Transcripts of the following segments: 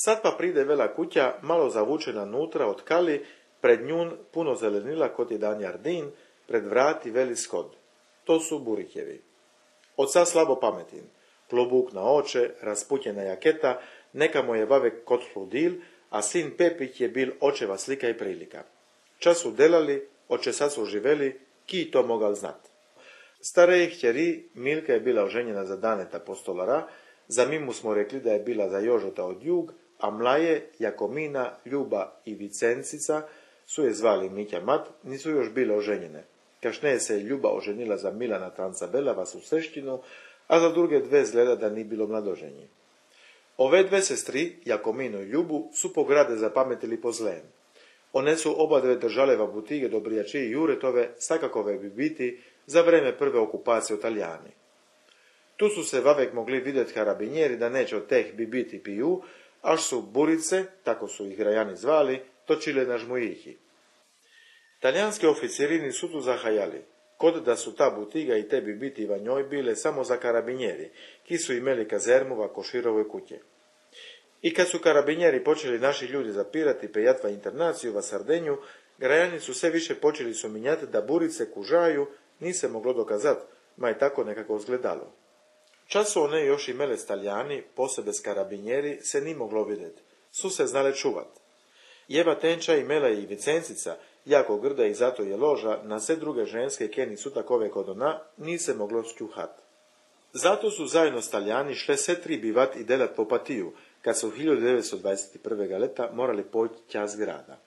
Sad pa pride vela kuća, malo zavučena nutra od kali, pred njun puno zelenila kot jedan jardin, pred vrati veli skod. To su Burihjevi. Oca slabo pametin, klobuk na oče, rasputjena jaketa, neka mu je vavek kot fludil, a sin Pepih je bil očeva slika i prilika. Čas su delali, oče sad su živeli, ki to mogal znat. Starej hćeri, Milka je bila oženjena za Daneta postolara, za Mimu smo rekli da je bila za Jožota od Jug, a mlaje, Jakomina, Ljuba i Vicencica su je zvali Mitja Mat, nisu još bile oženjene. Kašnije se je Ljuba oženila za Milana Trancabela u Sreštinu, a za druge dve zgleda da ni bilo mladoženji. Ove dve sestri, Jakominu i Ljubu, su po grade zapametili po zlem. One su oba dve držale va butige Dobrijači i Juretove, sakakove bi biti za vreme prve okupacije u Talijani. Tu su se vavek mogli vidjeti karabinjeri da neće od teh bi biti piju, až su burice, tako su ih grajani zvali, točile na žmujihi. Talijanski oficiri su tu zahajali, kod da su ta butiga i te bi biti va njoj bile samo za karabinjeri, ki su imeli kazermu va Koširovoj kuće. I kad su karabinjeri počeli naši ljudi zapirati pejatva internaciju va Sardenju, grajani su sve više počeli suminjati da burice kužaju, ni se moglo dokazat, ma je tako nekako izgledalo. Čas su one još imele Staljani, posebe s karabinjeri, se ni moglo vidjeti. Su se znale čuvat. Jeva Tenča imela i Vicencica, jako grda i zato je loža, na sve druge ženske keni su takove kod ona, ni se moglo skjuhat. Zato su zajedno s Talijani šle sve tri bivat i delat po Patiju, kad su 1921. leta morali poći tja z grada.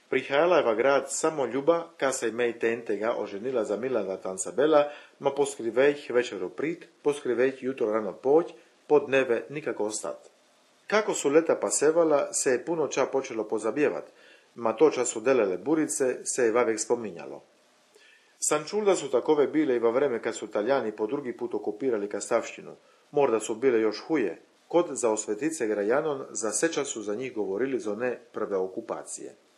Prihajala je va grad samo Ljuba, ka se imej Tentega oženila za Milana Trancabela, ma poskrivejh večero prit, poskrivejh jutro rano poć, po dneve nikako ostat. Kako su leta pasevala, se je puno ča počelo pozabjevat, ma to ča su delele burice, se je vavek spominjalo. Sam čul da su takove bile i va vreme kad su Talijani po drugi put okupirali Kastavštinu, morda su bile još huje, kod za osvetice grajanon za seča su za njih govorili za one prve okupacije.